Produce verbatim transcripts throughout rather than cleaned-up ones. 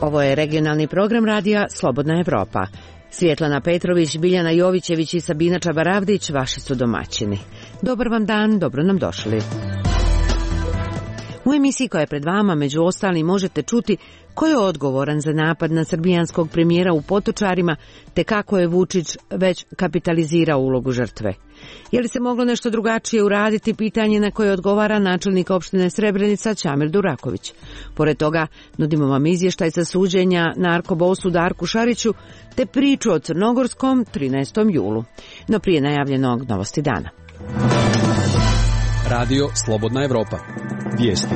Ovo je regionalni program radija Slobodna Evropa. Svjetlana Petrović, Biljana Jovićević i Sabina Čabaravdić vaši su domaćini. Dobar vam dan, dobro nam došli. U emisiji koja je pred vama, među ostalim, možete čuti ko je odgovoran za napad na srbijanskog premijera u Potočarima, te kako je Vučić već kapitalizirao ulogu žrtve. Je li se moglo nešto drugačije uraditi, pitanje na koje odgovara načelnik opštine Srebrenica Čamil Duraković. Pored toga, nudimo vam izvještaj sa suđenja narkobosu Darku Šariću, te priču o crnogorskom trinaestom julu. No prije najavljenog novosti dana. Radio Slobodna Evropa. Vijesti.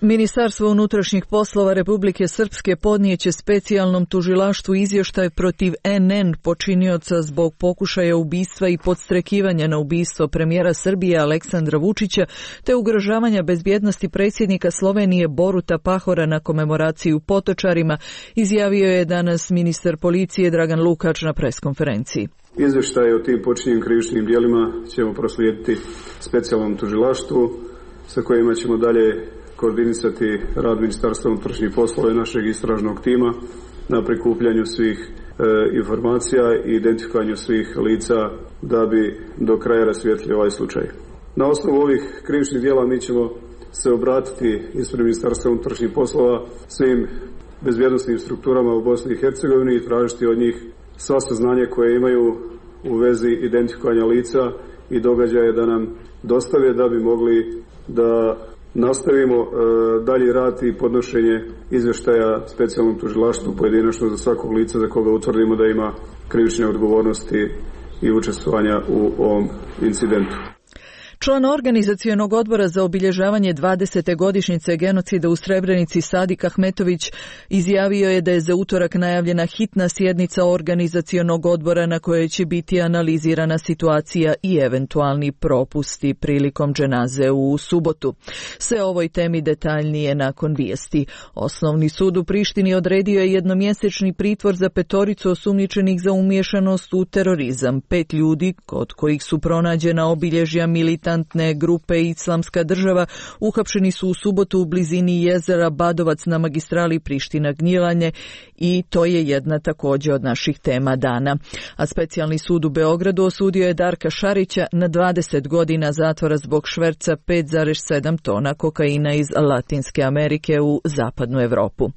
Ministarstvo unutrašnjih poslova Republike Srpske podnijeće specijalnom tužilaštvu izvještaj protiv en en počinioca zbog pokušaja ubistva i podstrekivanja na ubistvo premijera Srbije Aleksandra Vučića te ugrožavanja bezbjednosti predsjednika Slovenije Boruta Pahora na komemoraciji u Potočarima, izjavio je danas ministar policije Dragan Lukač na preskonferenciji. Izvještaj o tim počinjenim krivičnim djelima ćemo proslijediti specijalnom tužilaštvu sa kojima ćemo dalje koordinisati rad Ministarstva unutrašnjih poslova i našeg istražnog tima na prikupljanju svih e, informacija i identifikovanju svih lica da bi do kraja rasvijetlili ovaj slučaj. Na osnovu ovih krivičnih djela mi ćemo se obratiti ispred Ministarstva unutrašnjih poslova svim bezbjednosnim strukturama u Bosni i Hercegovini i tražiti od njih sva saznanja koje imaju u vezi identifikovanja lica i događaje da nam dostave da bi mogli da nastavimo e, dalji rad i podnošenje izvještaja specijalnom tužilaštvu pojedinačno za svakog lica za koga utvrdimo da ima krivične odgovornosti i učestvovanja u ovom incidentu. Član organizacionog odbora za obilježavanje dvadesete godišnjice genocida u Srebrenici Sadik Ahmetović izjavio je da je za utorak najavljena hitna sjednica organizacionog odbora na kojoj će biti analizirana situacija i eventualni propusti prilikom dženaze u subotu. Sve o ovoj temi detaljnije nakon vijesti. Osnovni sud u Prištini odredio je jednomjesečni pritvor za petoricu osumnjičenih za umiješanost u terorizam. Pet ljudi, kod kojih su pronađena obilježja militantne grupe Islamska država, uhapšeni su u subotu u blizini jezera Badovac na magistrali Priština-Gnjilanje i to je jedna također od naših tema dana. A specijalni sud u Beogradu osudio je Darka Šarića na dvadeset godina zatvora zbog šverca pet zarez sedam tona kokaina iz Latinske Amerike u zapadnu Evropu.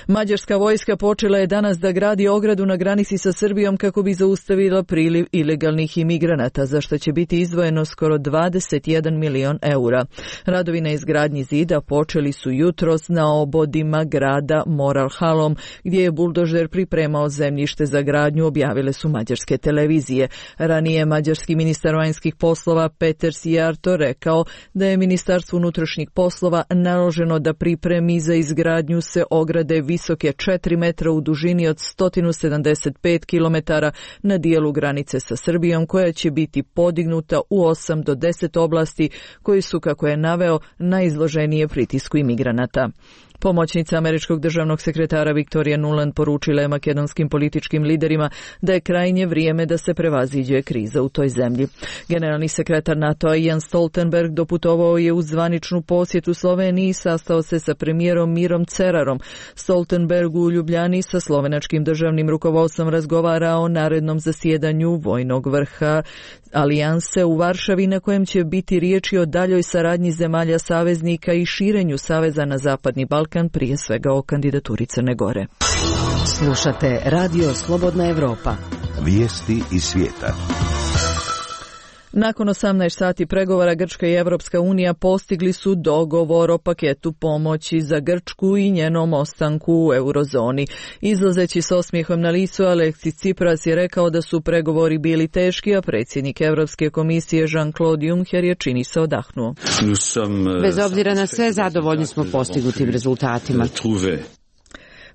Mađarska vojska počela je danas da gradi ogradu na granici sa Srbijom kako bi zaustavila priliv ilegalnih imigranata, za što će biti izdvojeno skoro dvadeset jedan milion eura. Radovi na izgradnji zida počeli su jutros na obodima grada Moral-Halom, gdje je buldožer pripremao zemljište za gradnju, objavile su mađarske televizije. Ranije mađarski ministar vanjskih poslova Peter Sijarto rekao da je Ministarstvu unutrašnjih poslova naloženo da pripremi za izgradnju se ograde visoke četiri metra u dužini od sto sedamdeset pet kilometara na dijelu granice sa Srbijom, koja će biti podignuta u osam do deset oblasti koji su, kako je naveo, najizloženije pritisku imigranata. Pomoćnica američkog državnog sekretara Viktorija Nuland poručila je makedonskim političkim liderima da je krajnje vrijeme da se prevaziđe kriza u toj zemlji. Generalni sekretar NATO-a Jens Stoltenberg doputovao je u zvaničnu posjetu Sloveniji i sastao se sa premijerom Mirom Cerarom. Stoltenberg u Ljubljani sa slovenačkim državnim rukovodstvom razgovara o narednom zasjedanju vojnog vrha alijanse u Varšavi, na kojem će biti riječi o daljoj saradnji zemalja saveznika i širenju saveza na Zapadni Balkan, prije svega o kandidaturi Crne Gore. Slušate Radio Slobodna Evropa. Vijesti iz svijeta. Nakon osamnaest sati pregovora Grčka i Evropska unija postigli su dogovor o paketu pomoći za Grčku i njenom ostanku u eurozoni. Izlazeći s osmijehom na licu, Aleksis Tsipras je rekao da su pregovori bili teški, a predsjednik Europske komisije Jean-Claude Juncker je, čini se, odahnuo. Bez obzira na sve, zadovoljni smo postignutim rezultatima.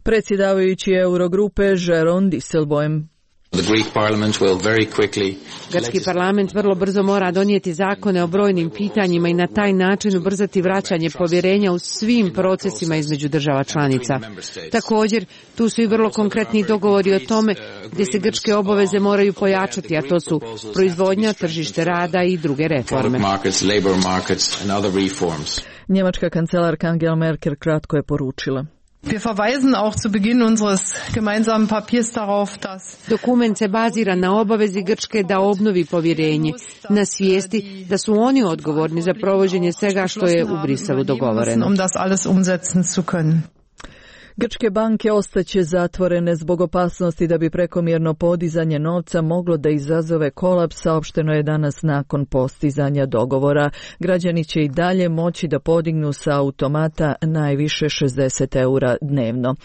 Predsjedavajući Eurogrupe Jeroen Dijsselbloem. Grčki parlament vrlo brzo mora donijeti zakone o brojnim pitanjima i na taj način ubrzati vraćanje povjerenja u svim procesima između država članica. Također, tu su i vrlo konkretni dogovori o tome gdje se grčke obaveze moraju pojačati, a to su proizvodnja, tržište rada i druge reforme. Njemačka kancelarka Angela Merkel kratko je poručila: Wir verweisen auch zu Beginn unseres gemeinsamen Papiers darauf, dass Dokument se bazira na obavezi Grčke da obnovi povjerenje, na svijesti da su oni odgovorni za provođenje svega što je u Briselu dogovoreno. Um das alles umsetzen zu können. Grčke banke ostaće zatvorene zbog opasnosti da bi prekomjerno podizanje novca moglo da izazove kolaps, saopšteno je danas nakon postizanja dogovora. Građani će i dalje moći da podignu sa automata najviše šezdeset eura dnevno.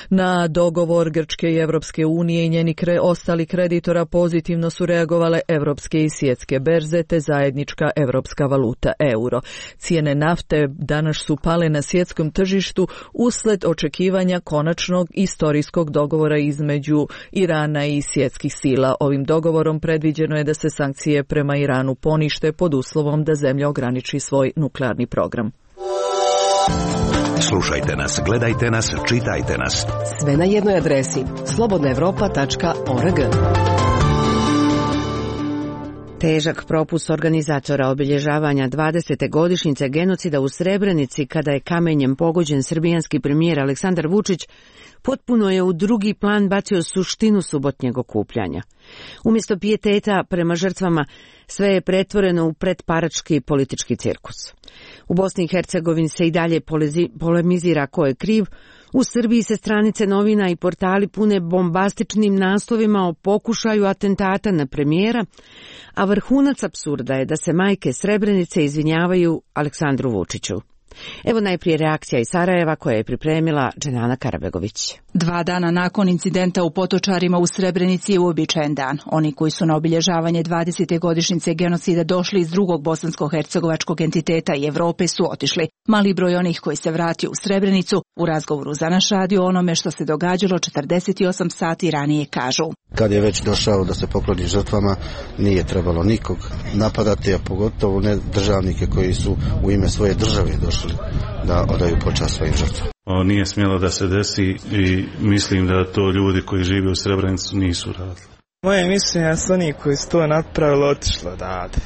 Na dogovor Grčke i Evropske unije i njeni kre, ostali kreditora pozitivno su reagovale evropske i svjetske berze te zajednička evropska valuta euro. Cijene nafte danas su pale na svjetskom tržištu usled očekivanja konačnog istorijskog dogovora između Irana i svjetskih sila. Ovim dogovorom predviđeno je da se sankcije prema Iranu ponište pod uslovom da zemlja ograniči svoj nuklearni program. Slušajte nas, gledajte nas, čitajte nas. Sve na jednoj adresi slobodna evropa tačka org. Težak propust organizatora obilježavanja dvadesete godišnjice genocida u Srebrenici, kada je kamenjem pogođen srbijanski premijer Aleksandar Vučić, potpuno je u drugi plan bacio suštinu subotnjeg okupljanja. Umjesto pijeteta prema žrtvama, sve je pretvoreno u pretparački politički cirkus. U Bosni i Hercegovini se i dalje polemizira ko je kriv. U Srbiji se stranice novina i portali pune bombastičnim naslovima o pokušaju atentata na premijera, a vrhunac apsurda je da se majke Srebrenice izvinjavaju Aleksandru Vučiću. Evo najprije reakcija iz Sarajeva koje je pripremila Dženana Karabegović. Dva dana nakon incidenta u Potočarima u Srebrenici je uobičajen dan. Oni koji su na obilježavanje dvadesete godišnjice genocida došli iz drugog bosansko-hercegovačkog entiteta i Evrope su otišli. Mali broj onih koji se vratio u Srebrenicu u razgovoru za naš radio onome što se događalo četrdeset osam sati ranije kažu: kad je već došao da se pokloni žrtvama, nije trebalo nikog napadati, a pogotovo ne državnike koji su u ime svoje države došli da odaju počast svojim žrtvama. O, nije smjelo da se desi i mislim da to ljudi koji žive u Srebrenicu nisu radili. Moje mišljenje je su oni koji su to napravili otišlo odavde,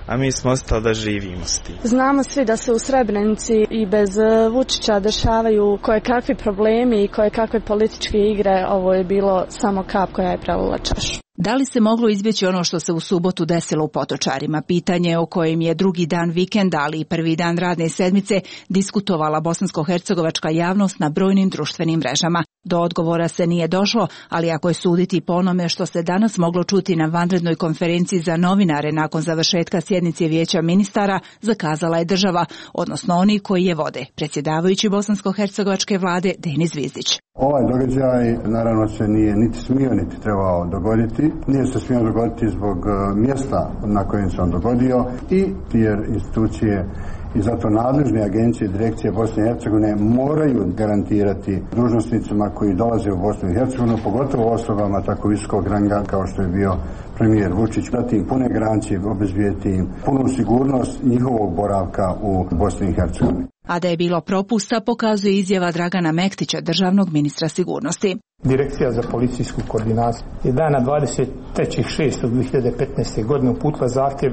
a mi smo ostali da živimo s tim. Znamo svi da se u Srebrenici i bez Vučića dešavaju koje kakvi problemi i koje kakve političke igre. Ovo je bilo samo kap koja je prelila čašu. Da li se moglo izbjeći ono što se u subotu desilo u Potočarima? Pitanje o kojem je drugi dan vikenda, ali i prvi dan radne sedmice diskutovala bosansko-hercegovačka javnost na brojnim društvenim mrežama. Do odgovora se nije došlo, ali ako je suditi po onome što se danas moglo čuti na vanrednoj konferenciji za novinare nakon završetka sjednice Vijeća ministara, zakazala je država, odnosno oni koji je vode, predsjedavajući bosansko-hercegovačke vlade Denis Zvizdić. Ovaj događaj naravno se nije niti smio niti trebao dogoditi. Nije se smio dogoditi zbog mjesta na kojem se on dogodio i jer institucije i zato nadležne agencije i direkcije Bosne i Hercegovine moraju garantirati dužnosnicima koji dolaze u Bosnu i Hercegovinu, pogotovo osobama tako visokog ranga kao što je bio premijer Vučić, dati im pune garancije, obezbijeti im punu sigurnost njihovog boravka u Bosni i Hercegovini. A da je bilo propusta pokazuje izjava Dragana Mektića, državnog ministra sigurnosti. Direkcija za policijsku koordinaciju je dana dvadeset trećeg šestog dvije hiljade petnaeste. godine uputila zahtjev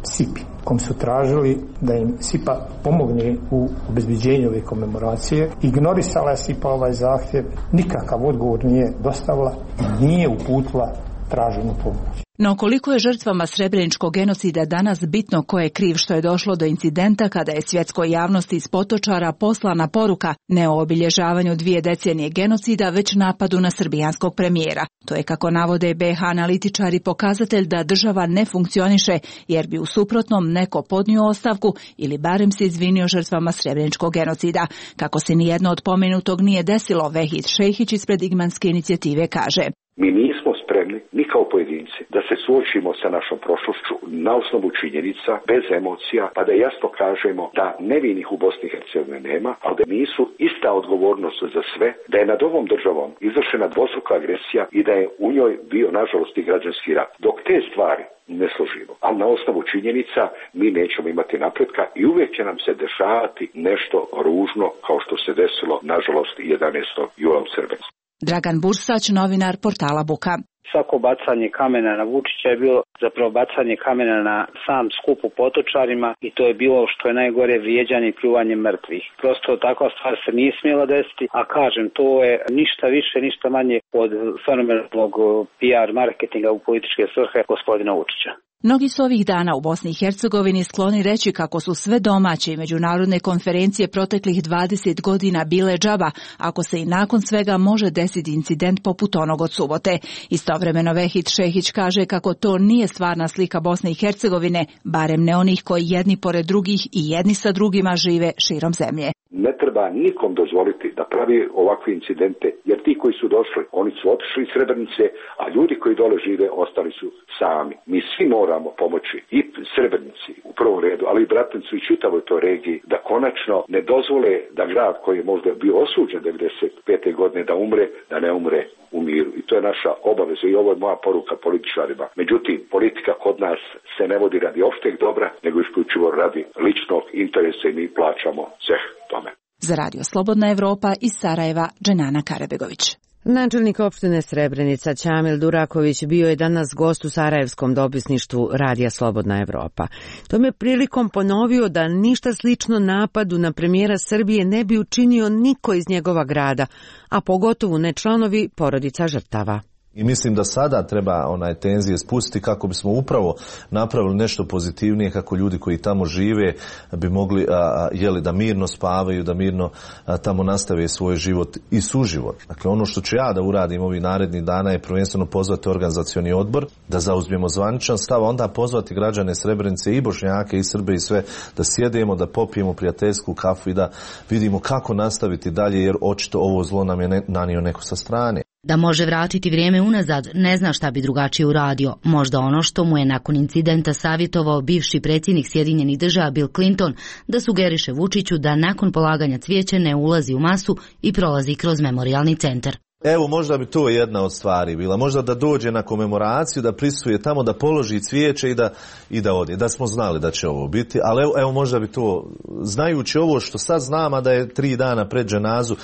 S I P-i, kom su tražili da im S I P A pomogne u obezbeđenju ove komemoracije. Ignorisala je S I P A ovaj zahtjev, nikakav odgovor nije dostavila i nije uputila traženu pomoć. No koliko je žrtvama srebreničkog genocida danas bitno ko je kriv što je došlo do incidenta kada je svjetskoj javnosti iz Potočara poslana poruka ne o obilježavanju dvije decenije genocida, već napadu na srbijanskog premijera. To je, kako navode B H analitičari, pokazatelj da država ne funkcioniše, jer bi u suprotnom neko podnio ostavku ili barem se izvinio žrtvama srebreničkog genocida. Kako se nijedno od pomenutog nije desilo, Vehid Šejhić ispred Igmanske inicijative kaže: Mi nismo spremni spremni, ni kao pojedinci, da se suočimo sa našom prošlošću na osnovu činjenica, bez emocija, pa da jasno kažemo da nevinih u Bosni i Hercegovini nema, ali da nisu ista odgovornost za sve, da je nad ovom državom izvršena dvostruka agresija i da je u njoj bio, nažalost, i građanski rat. Dok te stvari ne složimo, ali na osnovu činjenica mi nećemo imati napretka i uvijek će nam se dešavati nešto ružno kao što se desilo, nažalost, jedanaestog jula u Srebrenici. Dragan Bursać, novinar portala Buka. Svako bacanje kamena na Vučića je bilo zapravo bacanje kamena na sam skup u Potočarima i to je bilo što je najgore vrijeđanje i pljuvanje mrtvih. Prosto takva stvar se nije smjela desiti, a kažem, to je ništa više, ništa manje od fenomenalnog P R marketinga u političke svrhe gospodina Vučića. Mnogi su ovih dana u Bosni i Hercegovini skloni reći kako su sve domaće i međunarodne konferencije proteklih dvadeset godina bile džaba, ako se i nakon svega može desiti incident poput onog od subote. Istovremeno Vehid Šehić kaže kako to nije stvarna slika Bosne i Hercegovine, barem ne onih koji jedni pored drugih i jedni sa drugima žive širom zemlje. Ne treba nikom dozvoliti da pravi ovakve incidente, jer ti koji su došli, oni su otišli iz Srebrenice, a ljudi koji dole žive ostali su sami. Mi svi moramo pomoći i Srebrenici u prvom redu, ali i Bratuncu i čitavoj toj regiji, da konačno ne dozvole da grad koji je možda bio osuđen devedeset pete godine da umre, da ne umre u miru. I to je naša obaveza i ovo je moja poruka političarima. Međutim, politika kod nas se ne vodi radi opšteg dobra, nego isključivo radi ličnog interesa i mi plaćamo ceh tome. Za Radio Slobodna Evropa iz Sarajeva, Dženana Karabegović. Načelnik opštine Srebrenica Ćamil Duraković bio je danas gost u sarajevskom dopisništvu Radija Slobodna Evropa. Tom je prilikom ponovio da ništa slično napadu na premijera Srbije ne bi učinio niko iz njegova grada, a pogotovo ne članovi porodica žrtava. I mislim da sada treba onaj tenzije spustiti kako bismo upravo napravili nešto pozitivnije, kako ljudi koji tamo žive bi mogli a, jeli, da mirno spavaju, da mirno a, tamo nastave svoj život i suživot. Dakle, ono što ću ja da uradim ovih narednih dana je prvenstveno pozvati organizacioni odbor, da zauzmemo zvaničan stav, onda pozvati građane Srebrenice i Bošnjake i Srbe i sve, da sjedemo, da popijemo prijateljsku kafu i da vidimo kako nastaviti dalje, jer očito ovo zlo nam je ne, nanio neko sa strane. Da može vratiti vrijeme unazad, ne zna šta bi drugačije uradio. Možda ono što mu je nakon incidenta savjetovao bivši predsjednik Sjedinjenih Država Bill Clinton, da sugeriše Vučiću da nakon polaganja cvijeća ne ulazi u masu i prolazi kroz memorijalni centar. Evo, možda bi to jedna od stvari bila. Možda da dođe na komemoraciju, da prisuje tamo, da položi cvijeće i da, i da ode. Da smo znali da će ovo biti. Ali evo, evo možda bi to, znajući ovo što sad znam, a da je tri dana pred dženazu,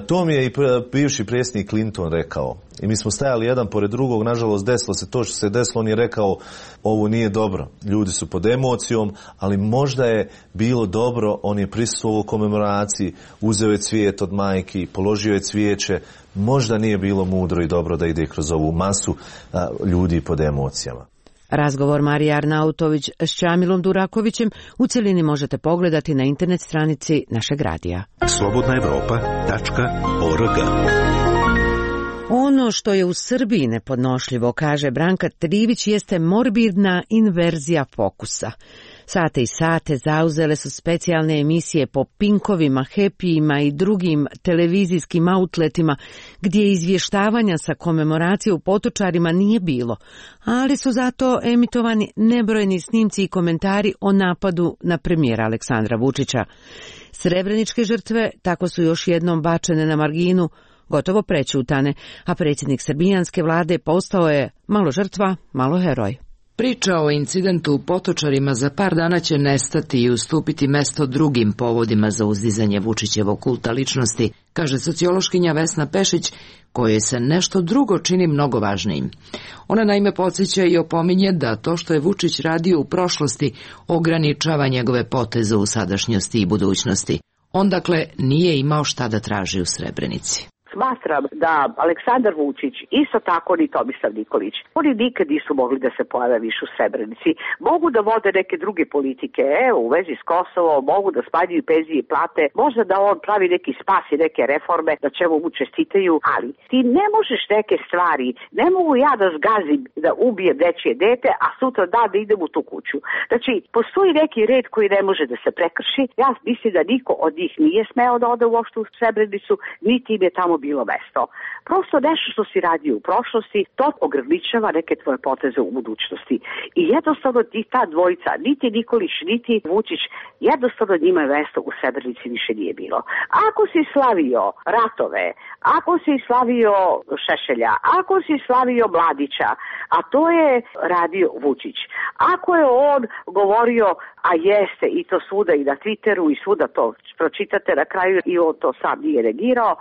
to mi je i bivši predsjednik Clinton rekao. I mi smo stajali jedan pored drugog, nažalost desilo se to što se desilo, on je rekao ovo nije dobro. Ljudi su pod emocijom, ali možda je bilo dobro, on je prisustvovao komemoraciji, uzeo je cvijet od majki, položio je cvijeće, možda nije bilo mudro i dobro da ide kroz ovu masu a, ljudi pod emocijama. Razgovor Marije Arnautović s Ćamilom Durakovićem u cjelini možete pogledati na internet stranici našeg radija. slobodna evropa tačka org. Ono što je u Srbiji nepodnošljivo, kaže Branka Trivić, jeste morbidna inverzija fokusa. Sate i sate zauzele su specijalne emisije po Pinkovima, Happyima i drugim televizijskim outletima gdje izvještavanja sa komemoracije u Potočarima nije bilo, ali su zato emitovani nebrojni snimci i komentari o napadu na premijera Aleksandra Vučića. Srebreničke žrtve tako su još jednom bačene na marginu, gotovo prećutane, a predsjednik srbijanske vlade postao je malo žrtva, malo heroj. Priča o incidentu u Potočarima za par dana će nestati i ustupiti mesto drugim povodima za uzdizanje Vučićevog kulta ličnosti, kaže sociološkinja Vesna Pešić, kojoj se nešto drugo čini mnogo važnijim. Ona naime podsjeća i opominje da to što je Vučić radio u prošlosti ograničava njegove poteze u sadašnjosti i budućnosti. On dakle nije imao šta da traži u Srebrenici. Smatram da Aleksandar Vučić, isto tako ni Tomislav Nikolić, oni nikad nisu mogli da se pojave više u Srebrenici. Mogu da vode neke druge politike, evo, u vezi s Kosovom, mogu da smanjuju penzije i plate, možda da on pravi neki spas i neke reforme, da čemu mu čestitaju, ali ti ne možeš neke stvari, ne mogu ja da zgazim da ubijem nečije dete, a sutra dan da idem u tu kuću. Znači, postoji neki red koji ne može da se prekrši. Ja mislim da niko od njih nije smeo da ode uopšte u Srebrenicu, niti im je tamo bilo mesto. Prosto nešto što si radio u prošlosti, to ograničava neke tvoje poteze u budućnosti. I jednostavno ti ta dvojica, niti Nikolić, niti Vučić, jednostavno njima mesto u Srebrenici više nije bilo. Ako si slavio ratove, ako si slavio Šešelja, ako si slavio Mladića, a to je radio Vučić, ako je on govorio, a jeste i to svuda i na Twitteru i svuda to pročitate na kraju i on to sam nije negirao,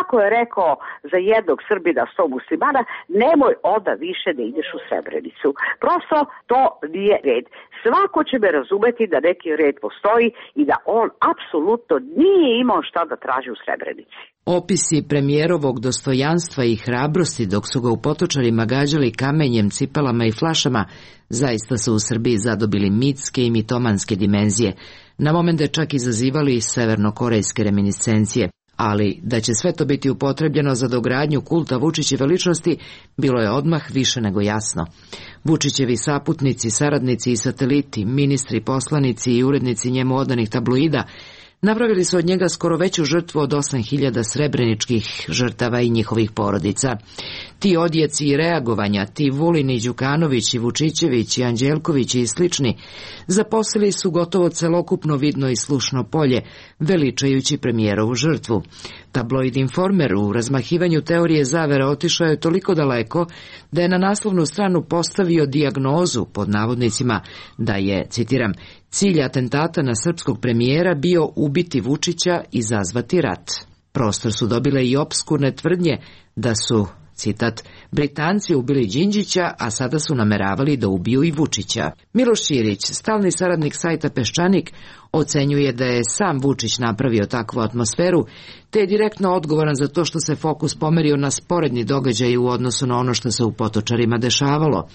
ako je rekao za jednog Srbina sto muslimana, nemoj onda više da ideš u Srebrenicu. Prosto to nije red. Svako će me razumeti da neki red postoji i da on apsolutno nije imao šta da traži u Srebrenici. Opisi premijerovog dostojanstva i hrabrosti dok su ga u Potočarima gađali kamenjem, cipelama i flašama zaista su u Srbiji zadobili mitske i mitomanske dimenzije, na momente čak izazivali severnokorejske reminiscencije. Ali da će sve to biti upotrebljeno za dogradnju kulta Vučićeve ličnosti bilo je odmah više nego jasno. Vučićevi saputnici, saradnici i sateliti, ministri, poslanici i urednici njemu odanih tabloida napravili su od njega skoro veću žrtvu od osam hiljada srebreničkih žrtava i njihovih porodica. Ti odjeci i reagovanja, ti Vulin i Đukanović i Vučićević i Anđelković i slični, zaposlili su gotovo celokupno vidno i slušno polje, veličajući premijerovu žrtvu. Tabloid Informer u razmahivanju teorije zavere otišao je toliko daleko da je na naslovnu stranu postavio dijagnozu, pod navodnicima, da je, citiram, cilj atentata na srpskog premijera bio ubiti Vučića i izazvati rat. Prostor su dobile i opskurne tvrdnje da su, citat, Britanci ubili Đinđića, a sada su nameravali da ubiju i Vučića. Miloš Ćirić, stalni saradnik sajta Peščanik, ocenjuje da je sam Vučić napravio takvu atmosferu, te je direktno odgovoran za to što se fokus pomerio na sporedni događaj u odnosu na ono što se u Potočarima dešavalo.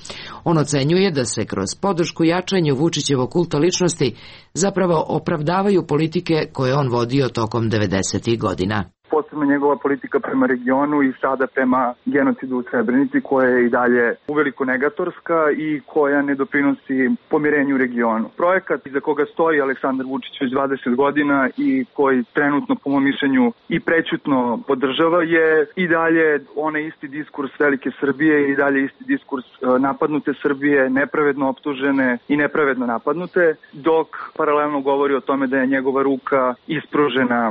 On ocenjuje da se kroz podršku jačanju Vučićevog kulta ličnosti zapravo opravdavaju politike koje on vodio tokom devedesetih godina. Posebno njegova politika prema regionu i sada prema genocidu u Srebrenici, koja je i dalje uveliko negatorska i koja ne doprinosi pomirenju u regionu. Projekat iza koga stoji Aleksandar Vučić već dvadeset godina i koji trenutno, po mom mišljenju, i prećutno podržava je i dalje onaj isti diskurs velike Srbije i dalje isti diskurs napadnute Srbije, nepravedno optužene i nepravedno napadnute, dok paralelno govori o tome da je njegova ruka ispružena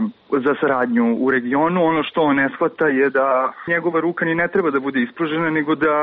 za saradnju u regionu. Ono što on ne shvata je da njegova ruka ni ne treba da bude ispružena, nego da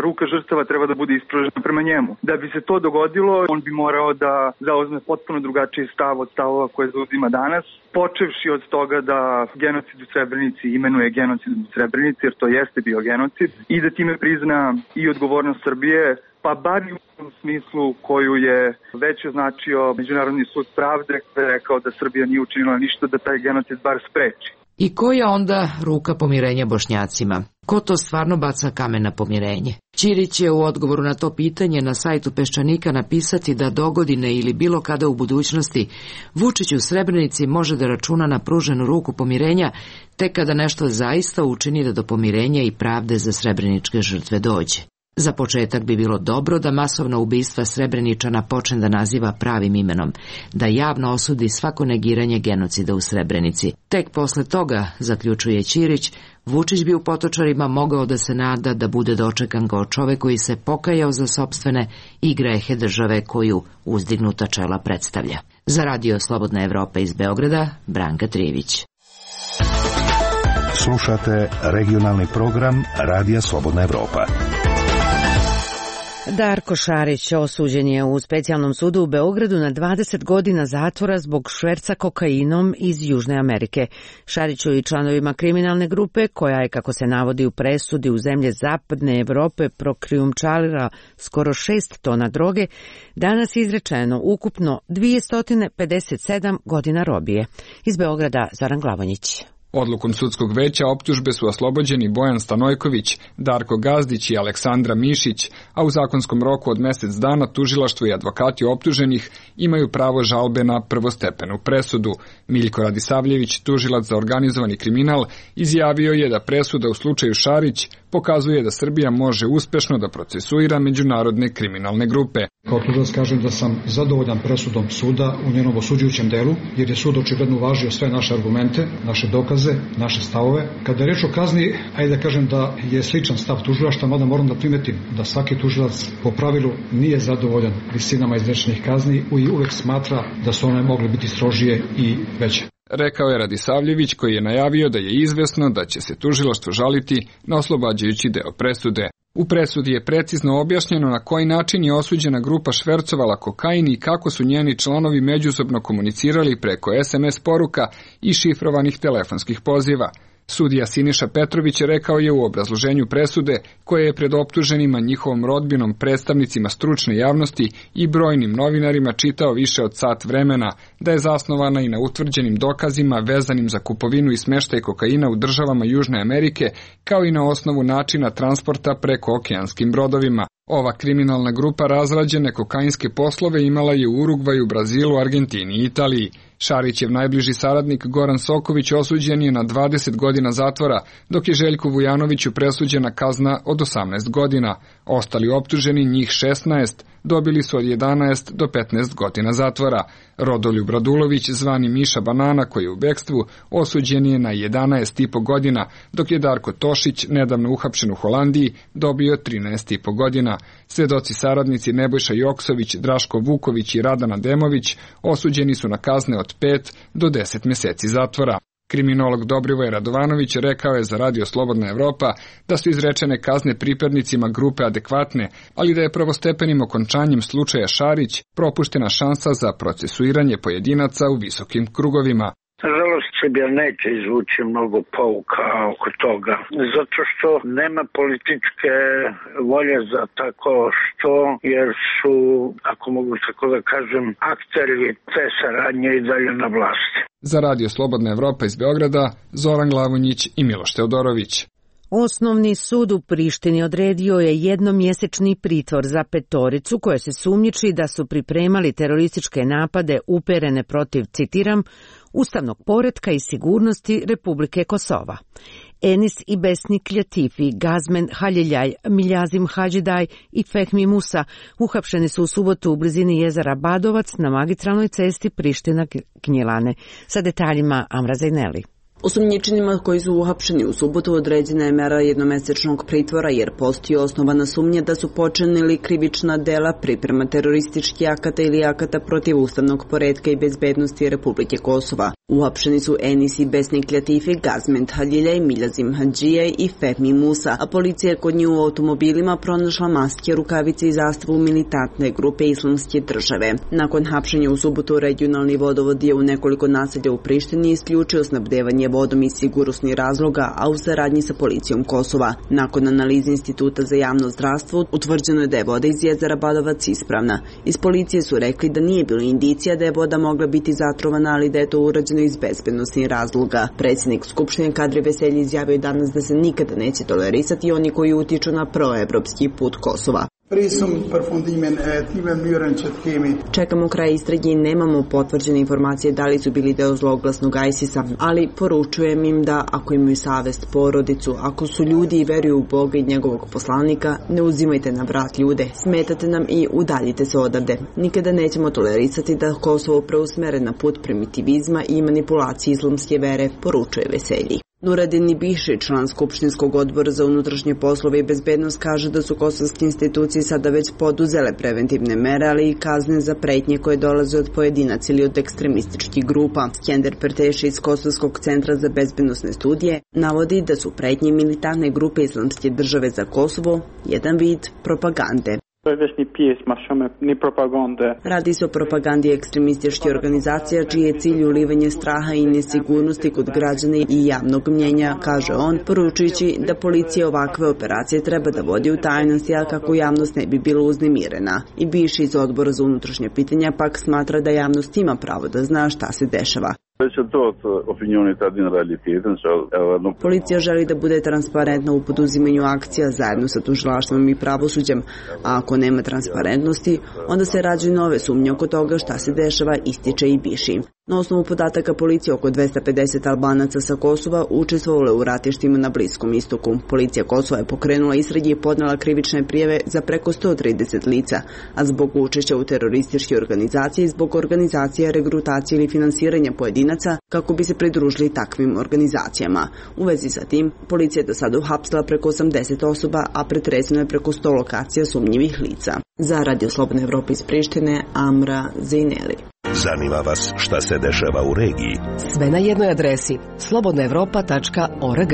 ruka žrtava treba da bude ispružena prema njemu. Da bi se to dogodilo, on bi morao da zauzme potpuno drugačiji stav od stavova koje zauzima danas, počevši od toga da genocid u Srebrenici imenuje genocid u Srebrenici, jer to jeste bio genocid, i da time prizna i odgovornost Srbije, pa bar i u tom smislu koju je već označio Međunarodni sud pravde, kada je rekao da Srbija nije učinila ništa da taj genocid bar spreči. I koja onda ruka pomirenja Bošnjacima? Ko to stvarno baca kamen na pomirenje? Ćirić je u odgovoru na to pitanje na sajtu Peščanika napisati da dogodine ili bilo kada u budućnosti Vučić u Srebrenici može da računa na pruženu ruku pomirenja tek kada nešto zaista učini da do pomirenja i pravde za srebreničke žrtve dođe. Za početak bi bilo dobro da masovna ubistva Srebreničana počne da naziva pravim imenom, da javno osudi svako negiranje genocida u Srebrenici. Tek posle toga, zaključuje Ćirić, Vučić bi u Potočarima mogao da se nada da bude dočekan kao čovek koji se pokajao za sopstvene i grehe države koju uzdignuta čela predstavlja. Za Radio Slobodna Evropa iz Beograda, Branka Trijević. Slušate regionalni program Radija Slobodna Evropa. Darko Šarić osuđen je u specijalnom sudu u Beogradu na dvadeset godina zatvora zbog šverca kokainom iz Južne Amerike. Šariću i članovima kriminalne grupe, koja je, kako se navodi u presudi, u zemlje Zapadne Evrope prokrijumčarila skoro šest tona droge, danas je izrečeno ukupno dvesta pedeset sedam godina robije. Iz Beograda Zoran Glavonjić. Odlukom sudskog veća optužbe su oslobođeni Bojan Stanojković, Darko Gazdić i Aleksandra Mišić, a u zakonskom roku od mesec dana tužilaštvo i advokati optuženih imaju pravo žalbe na prvostepenu presudu. Miljko Radisavljević, tužilac za organizovani kriminal, izjavio je da presuda u slučaju Šarić pokazuje da Srbija može uspešno da procesuira međunarodne kriminalne grupe. Kao tužilac kažem da sam zadovoljan presudom suda u njenom osuđujućem delu, jer je sud očigledno uvažio sve naše argumente, naše dokaze nalaze naše stavove. Kada je reč o kazni, ajde da kažem da je sličan stav tužilaštva, mada moram da primetim da svaki tužilac po pravilu nije zadovoljan visinama izrečenih kazni i uvek smatra da su one mogle biti strožije i veće. Rekao je Radisavljević, koji je najavio da je izvesno da će se tužilaštvo žaliti na oslobađajući deo presude. U presudi je precizno objašnjeno na koji način je osuđena grupa švercovala kokain i kako su njeni članovi međusobno komunicirali preko es em es poruka i šifrovanih telefonskih poziva. Sudija Siniša Petrović rekao je u obrazloženju presude, koje je pred optuženima, njihovom rodbinom, predstavnicima stručne javnosti i brojnim novinarima čitao više od sat vremena, da je zasnovana i na utvrđenim dokazima vezanim za kupovinu i smeštaj kokaina u državama Južne Amerike, kao i na osnovu načina transporta preko okeanskim brodovima. Ova kriminalna grupa razrađene kokainske poslove imala je u Urugvaju, Brazilu, Argentini i Italiji. Šarićev najbliži saradnik Goran Soković osuđen je na dvadeset godina zatvora, dok je Željku Vujanoviću presuđena kazna od osamnaest godina. Ostali optuženi, njih šesnaest, dobili su od jedanaest do petnaest godina zatvora. Rodoljub Radulović, zvani Miša Banana, koji je u bekstvu, osuđen je na jedanaest i po godina, dok je Darko Tošić, nedavno uhapšen u Holandiji, dobio trinaest i po godina. Svedoci saradnici Nebojša Joksović, Draško Vuković i Radana Demović osuđeni su na kazne od pet do deset meseci zatvora. Kriminolog Dobrivoj Radovanović rekao je za Radio Slobodna Evropa da su izrečene kazne pripadnicima grupe adekvatne, ali da je prvostepenim okončanjem slučaja Šarić propuštena šansa za procesuiranje pojedinaca u visokim krugovima. Nažalost, Srbija neće izvući mnogo pouka oko toga, zato što nema političke volje za tako što, jer su, ako mogu tako da kažem, akteri te saradnje i dalje na vlasti. Za Radio Slobodna Evropa iz Beograda, Zoran Glavonjić i Miloš Teodorović. Osnovni sud u Prištini odredio je jednomjesečni pritvor za petoricu koje se sumnjiči da su pripremali terorističke napade uperene protiv, citiram, ustavnog poretka i sigurnosti Republike Kosova. Enis Ibesnik Ljatifi, Gazmen Haljiljaj, Miljazim Hadžidaj i Fehmi Musa uhapšeni su u subotu u blizini jezera Badovac na magistralnoj cesti Priština-Gnjilane. Sa detaljima Amra Zajneli. Osumnjičenima koji su uhapšeni u subotu određena je mera jednomesečnog pritvora jer postoji osnovana sumnja da su počinili krivična dela priprema terorističkih akata ili akata protiv ustavnog poretka i bezbednosti Republike Kosova. Uhapšeni su Enis Ibesnik Ljatifi, Gazmen Haljiljaj, Miljazim Hadžijaj i Fehmi Musa, a policija je kod njih u automobilima pronašla maske, rukavice i zastavu militantne grupe Islamske države. Nakon hapšenja u subotu regionalni vodovod je u nekoliko naselja u Prištini isključio snabdevanje vodom iz sigurnosnih razloga, a u saradnji sa policijom Kosova. Nakon analize Instituta za javno zdravstvo utvrđeno je da je voda iz jezera Badovac ispravna. Iz policije su rekli da nije bilo indicija da je voda mogla biti zatrovana, ali da je to urađeno iz bezbednosnih razloga. Predsjednik Skupštine Kadri Veselji izjavio danas da se nikada neće tolerisati oni koji utiču na proevropski put Kosova. Čekamo kraj istrage i nemamo potvrđene informacije da li su bili deo zloglasnog ISIS-a, ali poručujem im da ako imaju savest, porodicu, ako su ljudi i veruju u Boga i njegovog poslanika, ne uzimajte na vrat ljude, smetate nam i udaljite se odavde. Nikada nećemo tolerisati da Kosovo preusmere na put primitivizma i manipulacije islamske vere, poručuje Veselji. Nuradin Ibiši, član Skupštinskog odbora za unutrašnje poslove i bezbednost, kaže da su kosovske institucije sada već poduzele preventivne mere, ali i kazne za pretnje koje dolaze od pojedinaca ili od ekstremističkih grupa. Skender Perteši iz Kosovskog centra za bezbednosne studije navodi da su pretnje militantne grupe Islamske države za Kosovo jedan vid propagande. Radi se o propagandi ekstremističkih organizacija čiji je cilj ulivanje straha i nesigurnosti kod građana i javnog mnjenja, kaže on, poručujući da policija ovakve operacije treba da vodi u tajnosti, a kako javnost ne bi bila uznemirena. I bivši iz odbora za unutrašnje pitanja pak smatra da javnost ima pravo da zna šta se dešava. Policija želi da bude transparentna u poduzimanju akcija zajedno sa tužilaštvom i pravosuđem, a ako nema transparentnosti, onda se rađaju nove sumnje oko toga šta se dešava, ističe i Biši. Na osnovu podataka policije, oko dvesta pedeset Albanaca sa Kosova učestvovalo u ratištima na Bliskom istoku. Policija Kosova je pokrenula istrage i podnela krivične prijave za preko sto trideset lica, a zbog učešća u terorističke organizacije i zbog organizacije, regrutacije ili finansiranja pojedinaca kako bi se pridružili takvim organizacijama. U vezi sa tim, policija je do sada uhapsila preko osamdeset osoba, a pretreseno je preko sto lokacija sumnjivih lica. Za Radio Slobodne Evrope iz Prištine, Amra Zejneli. Zanima vas šta se dešava u regiji? Sve na jednoj adresi slobodna evropa tačka org.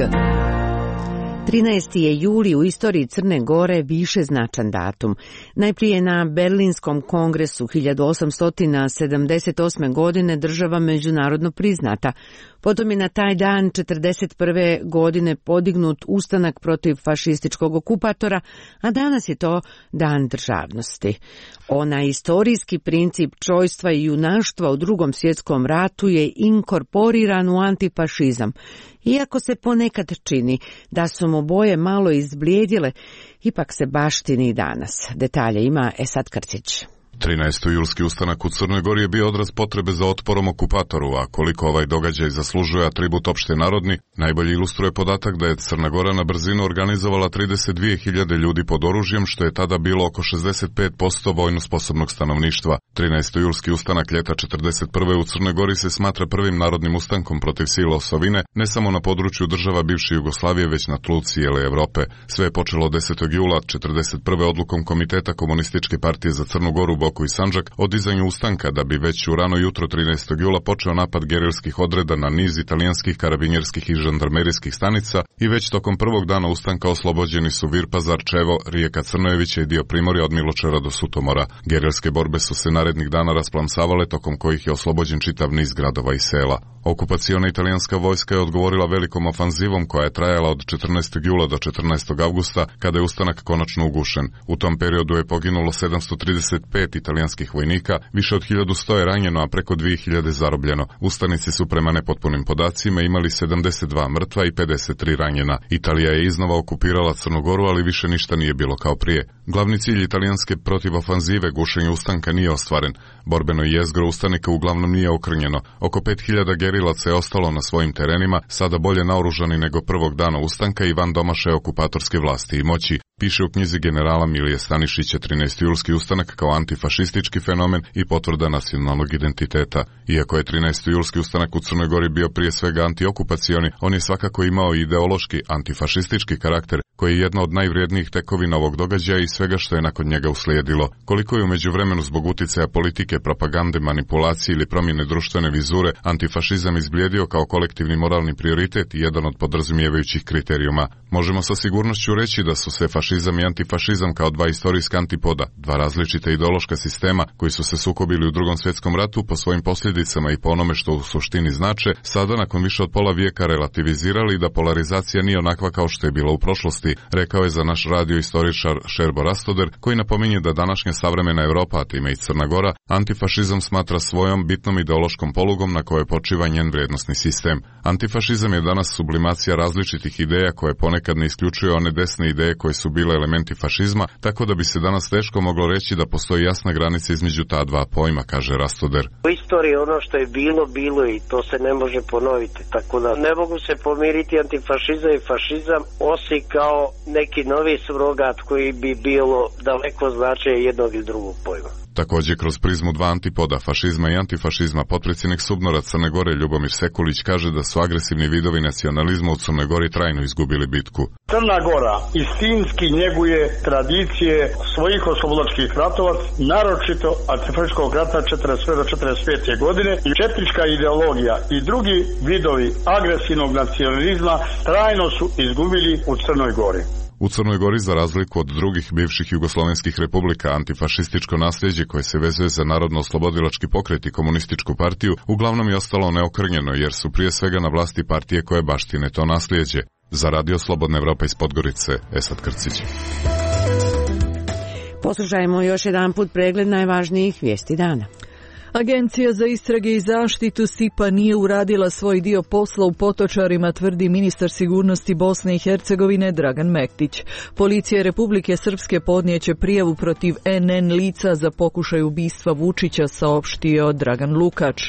trinaesti je juli u istoriji Crne Gore više značan datum. Najprije na Berlinskom kongresu hiljadu osamsto sedamdeset osme. godine država međunarodno priznata. Potom je na taj dan četrdeset prve. godine podignut ustanak protiv fašističkog okupatora, a danas je to dan državnosti. Onaj istorijski princip čojstva i junaštva u Drugom svjetskom ratu je inkorporiran u antifašizam. Iako se ponekad čini da su mu boje malo izblijedile, ipak se baštini i danas. Detalje ima Esad Krcić. trinaestojulski ustanak u Crnoj Gori je bio odraz potrebe za otporom okupatoru, a koliko ovaj događaj zaslužuje atribut opšte narodni, najbolje ilustruje podatak da je Crna Gora na brzinu organizovala trideset dvije hiljade ljudi pod oružjem, što je tada bilo oko šezdeset pet posto vojno sposobnog stanovništva. trinaestojulski ustanak ljeta četrdeset prve. u Crnoj Gori se smatra prvim narodnim ustankom protiv sila osovine, ne samo na području država bivše Jugoslavije, već na tlu cijele Evrope. Sve je počelo desetog jula četrdeset prve. odlukom Komiteta Komunističke partije za Crnu Goru, Boku i Sandžak o dizanju ustanka, da bi već u rano jutro trinaestog jula počeo napad gerilskih odreda na niz italijanskih karabinjerskih i žandarmerijskih stanica i već tokom prvog dana ustanka oslobođeni su Virpazar, Čevo, Rijeka Crnojevića i dio Primorja od Miločara do Sutomora. Gerilske borbe su se narednih dana rasplamsavale, tokom kojih je oslobođen čitav niz gradova i sela. Okupaciona italijanska vojska je odgovorila velikom ofanzivom koja je trajala od četrnaestog jula do četrnaestog avgusta, kada je ustanak konačno ugušen. U tom periodu je poginulo sedamsto trideset pet italijanskih vojnika, više od hiljadu sto je ranjeno, a preko dvije hiljade zarobljeno. Ustanici su prema nepotpunim podacima imali sedamdeset dva mrtva i pedeset tri ranjena. Italija je iznova okupirala Crnu Goru, ali više ništa nije bilo kao prije. Glavni cilj italijanske protivofanzive, gušenje ustanka, nije ostvaren. Borbeno jezgro ustanika uglavnom nije okrnjeno. Oko pet hiljada gerilaca je ostalo na svojim terenima, sada bolje naoružani nego prvog dana ustanka i van domašaja okupatorske vlasti i moći, piše u knjizi generala Milije Stanišića trinaestojulski ustanak kao antifašistički fenomen i potvrda nacionalnog identiteta. Iako je trinaestojulski ustanak u Crnoj Gori bio prije svega antiokupacioni, on je svakako imao ideološki antifašistički karakter, koji je jedna od najvrijednijih tekovina ovog događaja i svega što je nakon njega uslijedilo. Koliko je u međuvremenu zbog uticaja politike, propagande, manipulacije ili promjene društvene vizure antifašizam izblijedio kao kolektivni moralni prioritet i jedan od podrazumijevajućih kriterijuma. Možemo sa sigurnošću reći da su se fašizam i antifašizam kao dva istorijska antipoda, dva različita ideološka sistema koji su se sukobili u Drugom svjetskom ratu po svojim posljedicama i po onome što u suštini znače, sada nakon više od pola vijeka relativizirali da polarizacija nije onakva kao što je bila u prošlosti, rekao je za naš radio istoričar Šerbo Rastoder, koji napominje da današnja savremena Evropa, a time i Crna Gora, antifašizam smatra svojom bitnom ideološkom polugom na kojoj počiva njen vrijednosni sistem. Antifašizam je danas sublimacija različitih ideja koje ponekad ne isključuju one desne ideje koje su bile elementi fašizma, tako da bi se danas teško moglo reći da postoji jasna granica između ta dva pojma, kaže Rastoder. U istoriji ono što je bilo, bilo i to se ne može ponoviti, tako da ne mogu se pomiriti antifašizam i fašizam, osim kao neki novi surogat koji bi bilo daleko značaje jednog ili drugog pojma. Također kroz prizmu dva antipoda, fašizma i antifašizma, potpredsjednik Subnora Crne Gore Ljubomir Sekulić kaže da su agresivni vidovi nacionalizma u Crnoj Gori trajno izgubili bitku. Crna Gora istinski njeguje tradicije svojih oslobodilačkih ratova, naročito antifašističkog rata četrdeset prve do četrdeset pete. godine, i četnička ideologija i drugi vidovi agresivnog nacionalizma trajno su izgubili u Crnoj Gori. U Crnoj Gori, za razliku od drugih bivših jugoslovenskih republika, antifašističko nasljeđe koje se vezuje za narodno-oslobodilački pokret i komunističku partiju uglavnom je ostalo neokrnjeno, jer su prije svega na vlasti partije koje baštine to nasljeđe. Za Radio Slobodna Evropa iz Podgorice, Esad Krcić. Poslušajmo još jedan put pregled najvažnijih vijesti dana. Agencija za istrage i zaštitu S I P-a nije uradila svoj dio posla u Potočarima, tvrdi ministar sigurnosti Bosne i Hercegovine Dragan Mektić. Policija Republike Srpske podnijeće prijavu protiv N N lica za pokušaj ubistva Vučića, saopštio Dragan Lukač.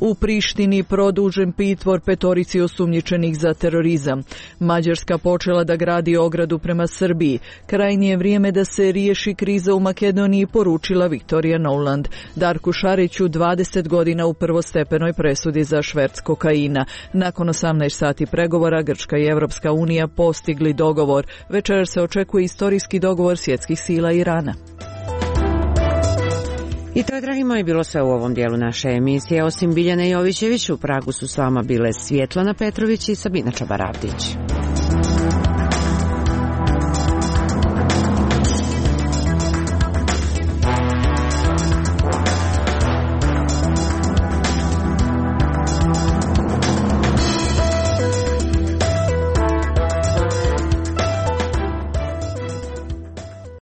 U Prištini produžen pritvor petorici osumnjičenih za terorizam. Mađarska počela da gradi ogradu prema Srbiji. Krajnje je vrijeme da se riješi kriza u Makedoniji, poručila Viktorija Nuland. Darku Šariću dvadeset godina u prvostepenoj presudi za šverc kokaina. Nakon osamnaest sati pregovora Grčka i Evropska unija postigli dogovor. Večer se očekuje istorijski dogovor svjetskih sila Irana. I to je, dragi moji, bilo sve u ovom dijelu naše emisije. Osim Biljane Jovićević, u Pragu su s vama bile Svjetlana Petrović i Sabina Čabaravdić.